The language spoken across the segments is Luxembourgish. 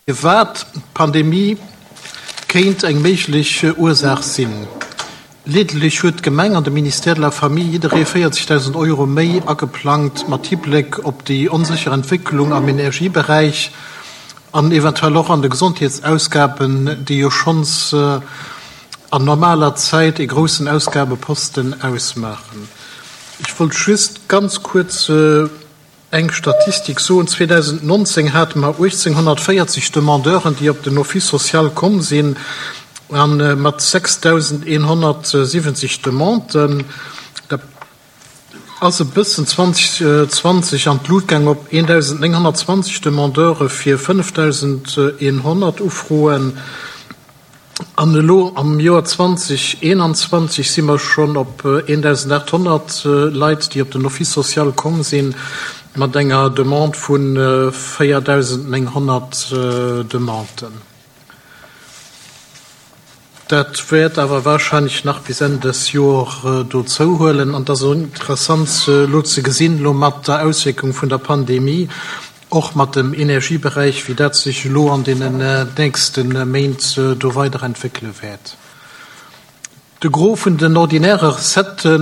Firwat d'Pandemie kéint eng méiglech Ursaach sinn. Leedeglech huet d'Gemeng an de Ministère de la Famille jidderee 40.000 Euro méi ageplangt mat Hibléck op déi onsécher Entwécklung am Energieberäich an eventuell och an de Gesondheetsausgaben, déi jo schonns an normaler Zäit ee groussen Ausgabeposten ausmaachen. Ech wollt just ganz kuerz Eng Statistik soen, 2019 hate mer 1.840 Demandeuren, déi op den Office social komm sinn, a mat 6.170 Demanden, dat ass e bëssen 2020 an d'Lut gaang op 1.920 Demandeure fir 5.100 Ufroen. An elo am Joer 2021 si mer schonn op 1.800 Leit, déi op den Office social komm sinn, mat enger Demande vu 4.900 Demanden. Dat wäert awer warscheinlech nach bis Enn des Joer do zouhuelen. An et ass och interessant elo ze gesinn, elo mat der Auswierkung vun der Pandemie, Och mat dem Energieberäich, wéi dat sech elo an deenen nächste Méint do weiderentwéckele wäert. De Gros vun den ordinäre Recettë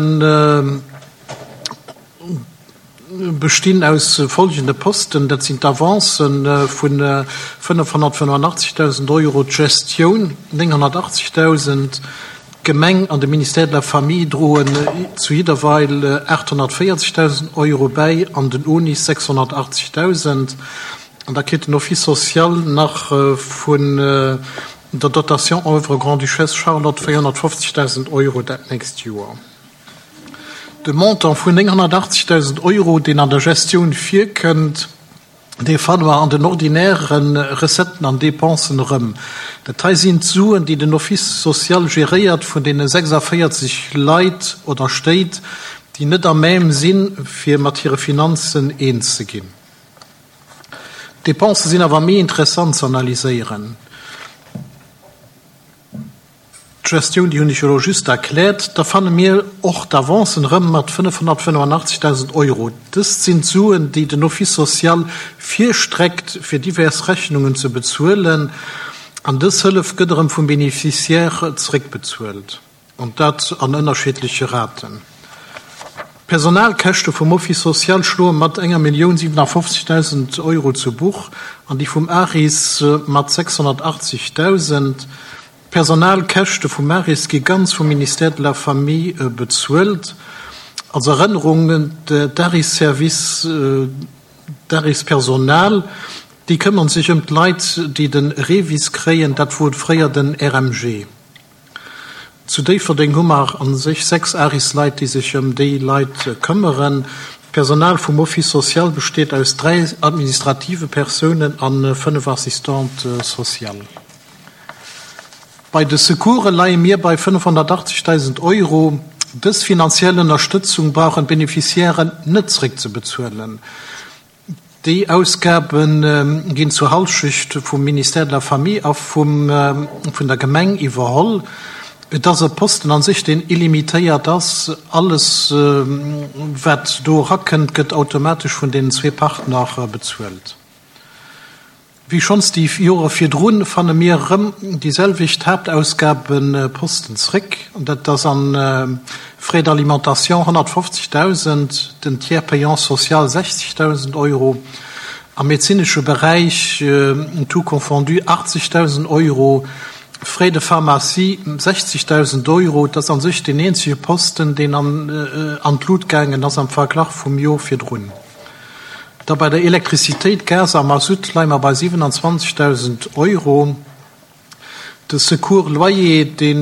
bestinn aus folgende Posten, dat sinn d'Avancë vu 585.000 Euro, d'Gestioun 980.000, D'Gemeng an de Ministère de la Famille droen zu jidderweil 840.000 Euro bäi an den ONIS 680.000. An da kritt den Office social nach vun der Dotation Oeuvre Grande-Duchesse Charlotte 450.000 Euro dat nächst Joer. De Montant vun 980.000 Euro, deen an der Gestioun virkënnt, Dee fanne mer an den ordinäre Recetten an Dépensen erëm. Dat hei sinn d'Suen, déi den Office social geréiert vun deene 46 Leit oder Stéit, déi net à même sinn, fir mat hire Finanzen eens ze ginn. D'Dépense sinn awer méi interessant ze analyséieren. D'Gestioun, déi hunn ech jo elo just erkläert. Da fanne mir och d'Avancen erëm mat 585.000 Euro. Dëst sinn d'Suen, déi den Office social virstreckt, fir divers Rechnungen ze bezuelen. An dës Hëllef gëtt erëm vum Bénéficiaire zeréckbezuelt, an dat an ënnerschiddleche Raten. D'Personalkäschte vum Office social schloe mat enger 1.057.000 Euro zu Buch an déi vum ARIS mat 680.000. D'Personalkäschte vum Maris gi ganz vum Ministère de la Famille bezuelt. Als Erënnerung, D'ARIS-Service, d'ARIS-Personal, déi këmmern sech ëm d'Leit, déi de REVIS kréien, dat wor fréier den RMG. Zu Déifferdeng hu mer a sech 6 ARIS-Leit, déi sech ëm déi Leit këmmeren. D'Personal vum Office social besteet aus 3 administrative Persounen a 5 Assistantes sociales. Bei de Secourse leie mir bei 580.000 Euro. Dës finanziell Ënnerstëtzung brauchen d'Beneficiairen net zréckzebezuelen. Déi Ausgabe ginn zur Hallschecht vum Ministère de la Famille a vun der Gemeng iwwerholl. Et ass e Posten an sech, deen illimitéiert ass. Alles, wat do erakënnt, gëtt automatesch vun deenen zwee Partner bezuelt. Wéi schonns déi Jore virdrun, fanne mir erëm déi selwecht Haaptausgabeposten zréck, an dat ass an Frais d'alimentation 150.000, den Tiers payant social 60.000 Euro, am medezinesche Beräich tout confondu 80.000 Euro, Frais de pharmacie 60.000 Euro. Dat ass a sech deen eenzege Posten, deen an d'Lut gaangen ass am Verglach vum Jor virdrun. Da bei der Elektrizitéit, Gas a Masutt leie mer bei 27.000 Euro. De Secours loyer, dee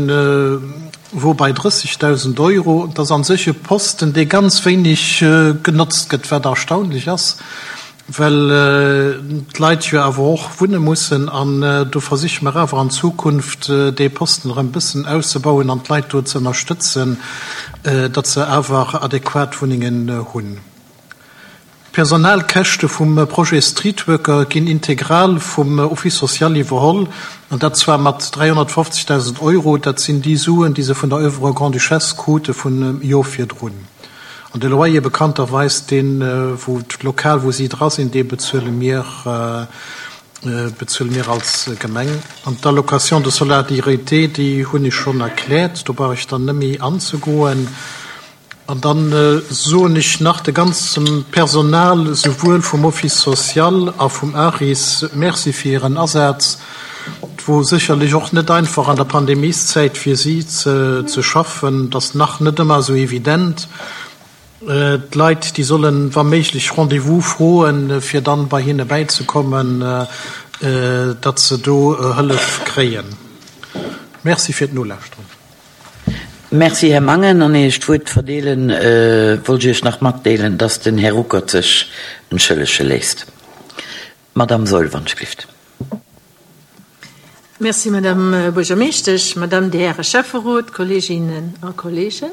wor bei 30.000 Euro. Dat ass a sech e Posten, dee ganz wéineg genotzt gëtt, wat erstaunlech ass, well d'Leit jo awer och wunne mussen. An do versiche mer awer an Zukunft, dee Posten erëm e bëssen auszebauen an d'Leit do ze ënnerstëtzen, datt se awer adequat Wunnengen hunn. D'Personalkäschte vum Projet Streetworker ginn integral vum Office social iwwerholl, an dat zwar mat 350.000 Euro. Dat sinn déi Suen, déi se vun der Oeuvre Grande-Duchesse krute vun Jor virdrun. An de Loyer bekannterweis, deen, wou d'Lokal, wou si dra sinn, dee bezuele mir. Bezuele mir als Gemeng. An d'Allocation de solidarité, déi hunn ech schonn erkläert, do brauch ech dann net méi anzegoen. An da soen ech nach de ganzem Personal, souwuel vum Office social a vum ARIS, Merci fir hiren Asaz. Et wor sécherlech och net einfach an der Pandemieszäit fir si ze schaffen. Et ass nach net ëmmer esou evident. D'Leit, déi sollen, wa méiglech, Rendez-vous froen, fir dann bei hinne bäizekommen, datt se do Hëllef kréien. Merci fir d'Nolauschteren. Merci, Här Mangen. An ier ech d'Wuert verdeelen, wollt ech Iech nach matdeelen, dass den Här Ruckert sech entschëllege léisst. Madamm Saeul, wann ech glift. Merci, Madame Buergermeeschtesch, Madame, Dir Häre Schäfferot, Kolleeginnen a Kolleegen.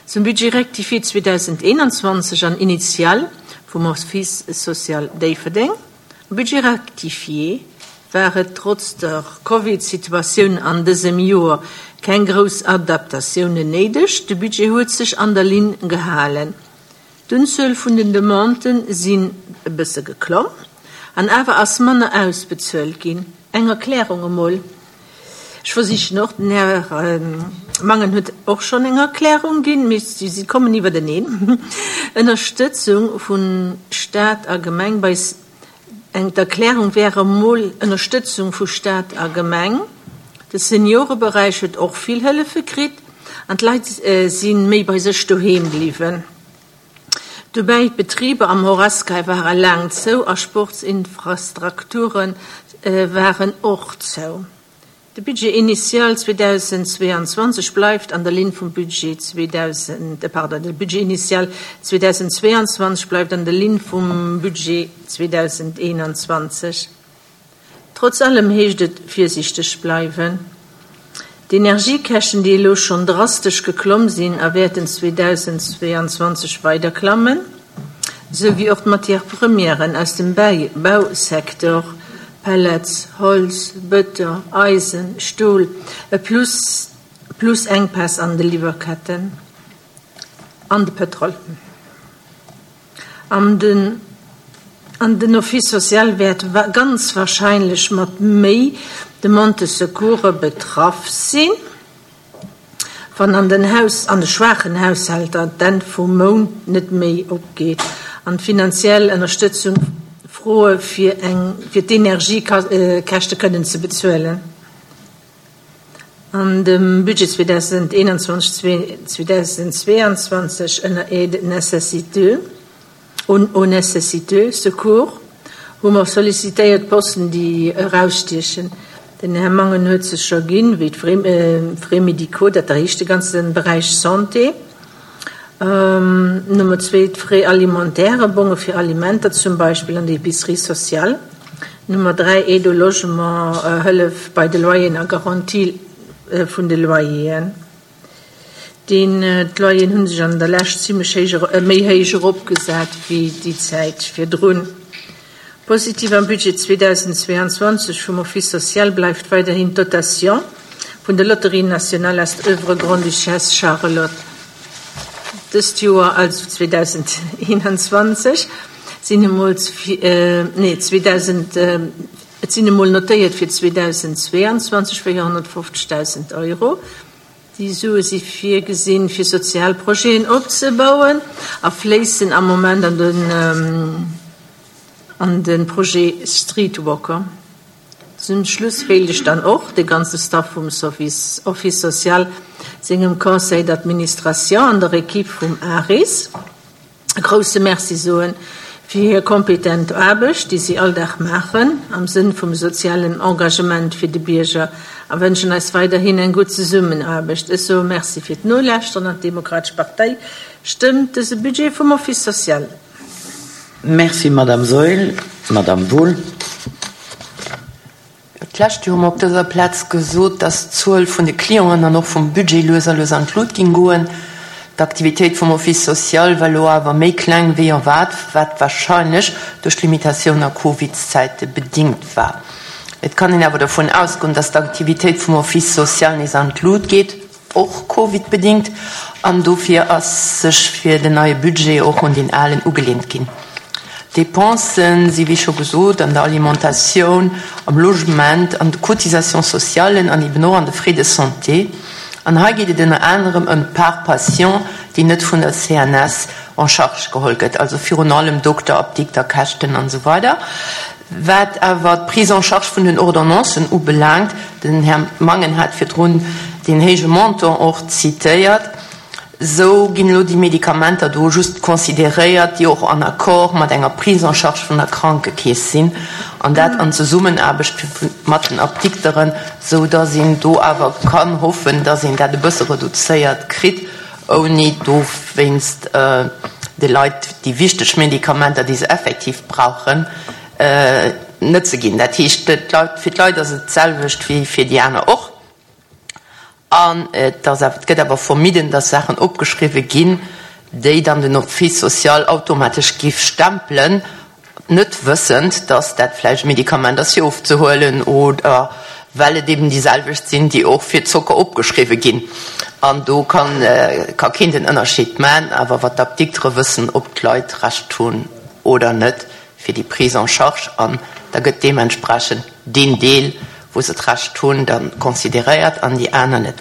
Zum Budget rectifié 2021 an initial vum Office social Déifferdeng. Am Budget rectifié war et trotz der Covid-Situatioun an dësem Joer keng grouss Adaptatiounen néideg. De Budget huet sech an der Linn gehalen. D'Unzuel vun den Demandë sinn e bësse geklomm an awer ass manner ausbezuelt ginn. Eng Erklärung emol, ech versichen och, den Här Mangen huet och schonn eng Erklärung ginn, mee si kommen iwwerteneen, Ënnerstëtzung vu Stat a Gemeng bei eng, d'Erklärung wär emol Ënnerstëtzung vu Stat a Gemeng. De Senioreberäich huet och vill Hëllefe kritt an d'Leit si méi bei sech doheem bliwwen. Dobäi, d'Betriber am Horesca ware laang zou a Sportsinfrastrukture waren och zou. De Budget initial 2022 bleift an der Linn vum Budget 2000, pardon, de Budget initial 2022 bleift an der Linn vum Budget 2021. Trotz allem heescht et virsiichteg bleiwen. D'Energiekäschten, déi elo schonn drastesch geklomm sinn a wäerten 2022 weider klammen, esou wéi och d'Matières premièren aus dem Bausecteur, Pellets, Holz, Bëton, Eisen, Stol, e plus plus Enkpäss an de Liwwerketten an de Pëtrol. An den an den Office social wäert ganz wahrscheinlech mat méi Demande-de-secourse betraff sinn, wann an den Haus an de schwaachen Haushälter d'Enn vum Mount net méi opgeet an d'finanziell Ënnerstëtzung froe fir eng fir d'Energiekäschte kënnen ze bezuelen. An dem Budget 2021, 2022 ënner Aide nécessiteux, aux nécessiteux, secours, hu mer sollicitéiert Posten, déi erausstiechen. Den Här Mangen huet se scho ginn, wéi d'Frais médicaux, dat erhéicht de ganze Beräich Santé. Nummer zwee, d'Frais alimentaires, Bonge fir Alimenter zum Beispill an der Épicerie sociale. Nummer 3, Aide au logement, Hëllef bei de Loyeren a Garantie vun de Loyeren. Deen, d'Loyeren hu sech an der Lescht zimlech héich, méi héich eropgesat wéi déi Zäit virdrun. Positiv am Budget 2022 vum Office social bleift weiderhin d'Dotation vun der Loterie nationale aus der Oeuvre Grande-Duchesse Charlotte. Dëst Joer, also 2021, sinn emol, nee, 2000, et sinn emol notéiert fir 2022 450.000 Euro. Déi Sue si virgesinn, fir sozial Projeten opzebauen a fléissen am Moment an den, an de Projet Streetwalker. Zum Schluss wéilt ech dann och de ganze Staff vum Office social, sengem Conseil d'administration an der Equipe vum ARIS e grouse Merci soen fir hir kompetent Aarbecht, déi si all Dag maachen am Sënn vum sozialen Engagement fir de Bierger a wënschen eis weiderhin eng gutt Zesummenaarbecht. Ech soe Merci fir d'Nolauschteren an d'Demokratesch Partei stëmmt dëse Budget vum Office social. Merci, Madame Saeul. Madame Wohl. D'lescht Joer hu mer op dëser Plaz gesot, dass d'Zuel vun de Clienten an och vum Budget lues a lues an d'Lut ging goen. D'Aktivitéit vum Office social war elo awer méi kleng wéi erwaart, wat wahrscheinlech duerch d'Limitatioun a Covidszäite bedingt war. Et kann een awer dovun ausgoen, dass d'Aktivitéit vum Office social nees an d'Lut geet. Och Covid-bedingt, an dofir ass sech fir den neie Budget och un deen alen ugelehnt ginn. D'Dépensen si wéi scho gesot an der Alimentatioun, am Logement, an de Cotisations sociales an eben och an de Frais de santé. An hei geet et ënner anerem ëm d'Part patient, déi net vun der CNS en charge geholl gëtt, also virun allem Dokter, Apdikter, Käschten an esou weider. Wat awer d'Prise en charge vun den Ordonnancen ubelaangt, den Här Mangen hat virdrun deen héije Montant och zitéiert, Esou ginn elo déi Medikamenter do just consideréiert, déi och en Accord mat enger Prise en charge vun der Krankekeess sinn, an dat an Zesummenaarbecht mat den Apdikteren, esou dass een do awer kann hoffen, dass een dat e bësse reduzéiert kritt, ouni dowéinst de Leit déi wichteg Medikamenter, déi se effektiv brauchen, net ze ginn. Dat heescht, fir d'Leit ass et d'selwecht wéi fir déi aner och. An et ass awer, et gëtt awer vermidden, dass Saachen opgeschriwwe ginn, déi dann den Office social automatesch giff stempelen, net wëssend, dass dat vläicht e Medikament ass fir ofzehuelen oder well et eben déi selwecht sinn, déi och fir Zocker opgeschriwwe ginn. An do kann, ka keen den Ënnerscheed man, awer wat d'Apdiktere wëssen, ob d'Leit Recht hunn oder net fir déi Prise en charge. An da gëtt deementsprechend deen Deel, wou se d'Recht hunn, da consideréiert an déi aner net.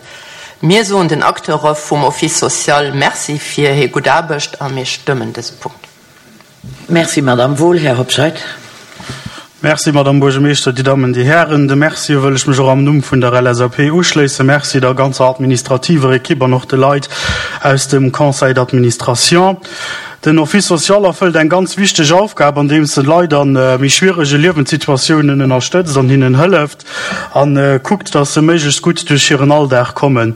Mir soen den Acteure vum Office social Merci fir hir gutt Aarbecht a mir stëmmen dëse Punkt. Merci, Madamm Wohl. Här Hobscheit. Merci, Madamm Buergermeeschter, Dir Dammen, Dir Hären. De Mercie wëll ech mech och am Numm vun der LSAP uschléissen. Merci der ganzer administrativer Ekipp an och de Leit aus dem Conseil d'administration. Den Office social erfëllt eng ganz wichteg Aufgab, andeems en Leit a méi schwierege Liewenssituatiounen ënnerstëtzt an hinnen hëlleft a kuckt, dass se méiglechst gutt duerch hiren Alldag kommen.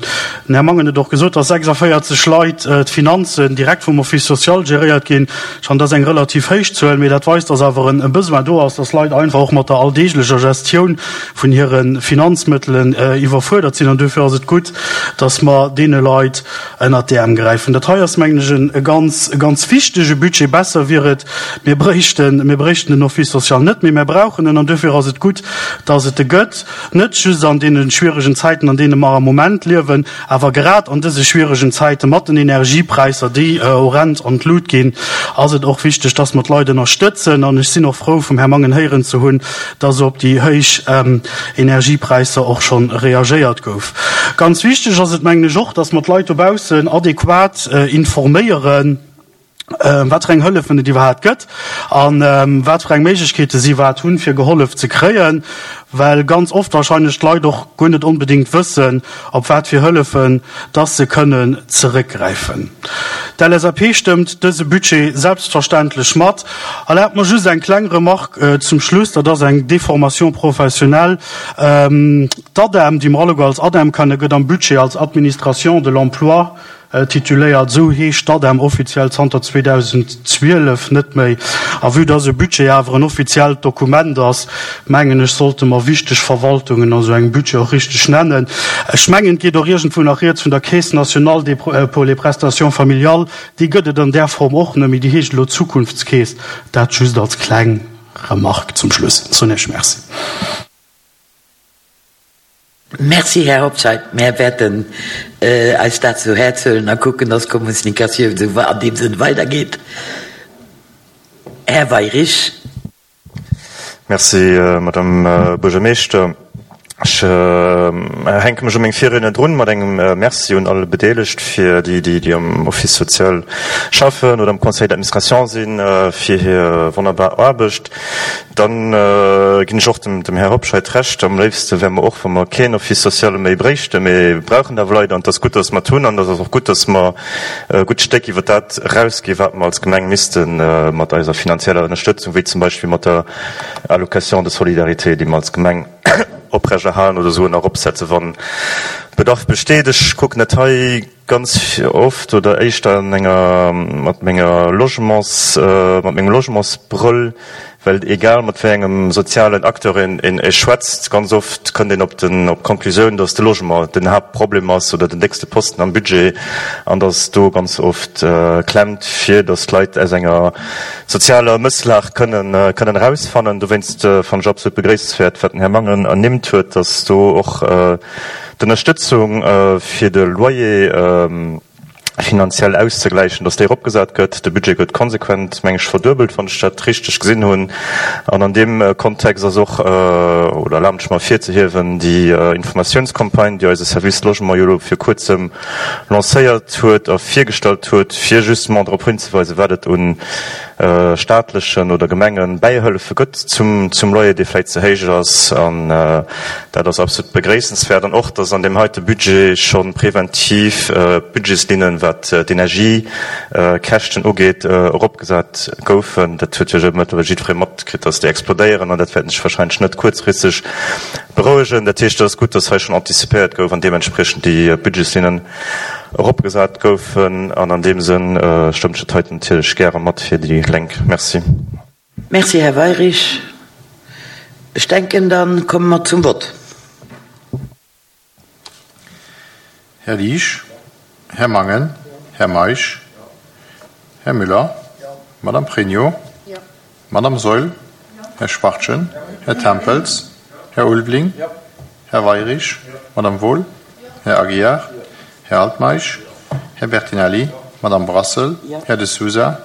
Den Här Mangen huet och gesot, dass 46 Leit d'Finanzen direkt vum Office social geréiert ginn. Schonn dat ass eng relativ héich Zuel, mee dat weist, dass awer e Besoin do ass, dass Leit einfach och mat der alldeeglecher Gestioun vun hire Finanzmëttelen iwwerfuerdert sinn. An duerfir ass et gutt, dass mer deene Leit ënnert d'Äerm gräifen. Dat hei ass, mengen ech, e ganz, e ganz wichtege Budget. Besser wier et, mir bréichten, mir bréichten den Office social net, mee mir brauchen en. An duerfir ass et gutt, dass et e gëtt, net just an deene schwieregen Zäiten, an deene mer am Moment liewen, awer grad an dëse schwieregen Zäite mat den Energiepräisser, déi horrend an d'Lut ginn, ass et och wichteg, dass mer d'Leit ënnerstëtzen. An ech sinn och frou, vum Här Mangen héieren ze hunn, dass op déi héich Energiepräisser och scho reagéiert gouf. Ganz wichteg ass et, mengen ech, och, dass mer d'Leit dobaussen adequat informéieren, wat fir eng Hëllefen et iwwerhaapt gëtt a wat fir eng Méiglechkeete si iwwerhaapt hunn, fir gehollef ze kréien, well ganz oft wahrscheinlech d'Leit och guer net onbedéngt wëssen, op wat fir Hëllefen dass se kënnen zeréckgräifen. D'LSAP stëmmt dëse Budget selbstverständlech mat. Erlaabt mer just eng kleng Remarque zum Schluss, dat ass eng Déformation professionnelle. D'ADEM, déi mer alleguer als ADEM kennen, gëtt am Budget als Administration de l'emploi tituléiert. Esou heescht d'ADEM offiziell zanter 2012 net méi. A vue dass e Budget awer en offiziellt Dokument ass, mengen ech, sollte mer wichteg Verwaltungen a sou engem Budget och richteg nennen. Ech mengen, et geet och iergendwou nach rieds vun der Caisse nationale des pour les prestations familiales. Déi gëtt et an där Form och net méi, déi heescht elo Zukunftskeess. Dat just als kleng Remarque zum Schluss. Soen Iech Merci. Merci, Här Hobscheit. Mär wäerten eis dat zu Häerz huelen a kucken, dass d'Kommunikatioun esou an deem Sënn weidergeet. Här Weirich. Merci, Madame Buergermeeschter. Ech hänke mech u meng Virriedner drun mat engem Merci un all Bedeelegt, fir déi, déi am Office social schaffen oder am Conseil d'administration sinn, fir hir wonnerbar Aarbecht. Dann ginn ech och dem Här Hobscheit Recht, am léifste wär mer och, wa mer keen Office social méi bréichten. Mee mir brauchen awer Leit an et ass gutt, dass mer et hunn an et ass och gutt, dass mer e gutt Stéck iwwer dat erausginn, wat mer als Gemeng misste mat eiser finanzieller Ënnerstëtzung, wéi zum Beispill mat der Allocation de solidarité, déi mer als Gemeng oprechterhalen oder souguer nach eropsetzen, wa Bedarf besteet. Ech kucken dat hei ganz oft oder éischter an enger, mat menger Logements, mat mengem Logementsbrëll, well egal mat wéi engem sozialen Acteur een een schwätzt, ganz oft kënnt een op den, op d'Konklusioun, datt de Logement den Haaptproblem ass oder den déckste Posten am Budget an datt do ganz oft klemmt, fir datt d'Leit aus enger sozialer Mësslag kënnen, kënnen erausfannen. Dowéinst fannen ech absolut begréissenswäert, wat den Här Mangen ernimmt huet, datt do och, D'Ënnerstëtzung fir de Loyer. Finanziell auszegläichen, dass déi eropgesat gëtt. De Budget gëtt konsequent, meng ech, verduebelt, wann ech dat richteg gesinn hunn. An an deem Kontext ass och, oder erlaabt ech mer ervirzehiewen, déi Informatiounscampagne, déi eise Service Logement jo elo vir kuerzem lancéiert huet a virgestallt huet, fir justement drop hinzeweisen, wat et un staatlechen oder Gemengebäihëllefe gëtt zum Loyer, dee vläicht ze héich ass. An dat ass absolut begréissenswäert. An och, dass an deem heite Budget scho preventiv d'Budgetslinnen, wat d'Energiekäschten ugeet, eropgesat goufen. Dat huet jo mëttlerweil jiddweree matkritt, dass déi explodéieren. An dat wäert sech wahrscheinlech net kuerzfristeg berouegen. Dat heescht, et ass gutt, dass hei schonn antizipéiert gouf an deementspriechend déi Budgetslinnen eropgesat goufen. An an deem Sënn stëmmt ech dat heiten natierlech gäre mat fir déi Lénk. Merci. Merci, Här Weyrich. Ech denken, da komme mer zum Vott. Här Liesch, Här Mangen, Här Meisch, Här Müller, Madame Pregno, Madame Saeul, Här Schwachtgen, Här Tempels, Här Ulveling, Här Weyrich, Madame Wohl, Här Aguiar, Här Altmeisch, Här Bertinelli, Madame Brassel, Här De Sousa,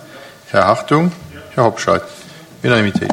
Här Hartung, Här Hobscheit. Unanimité.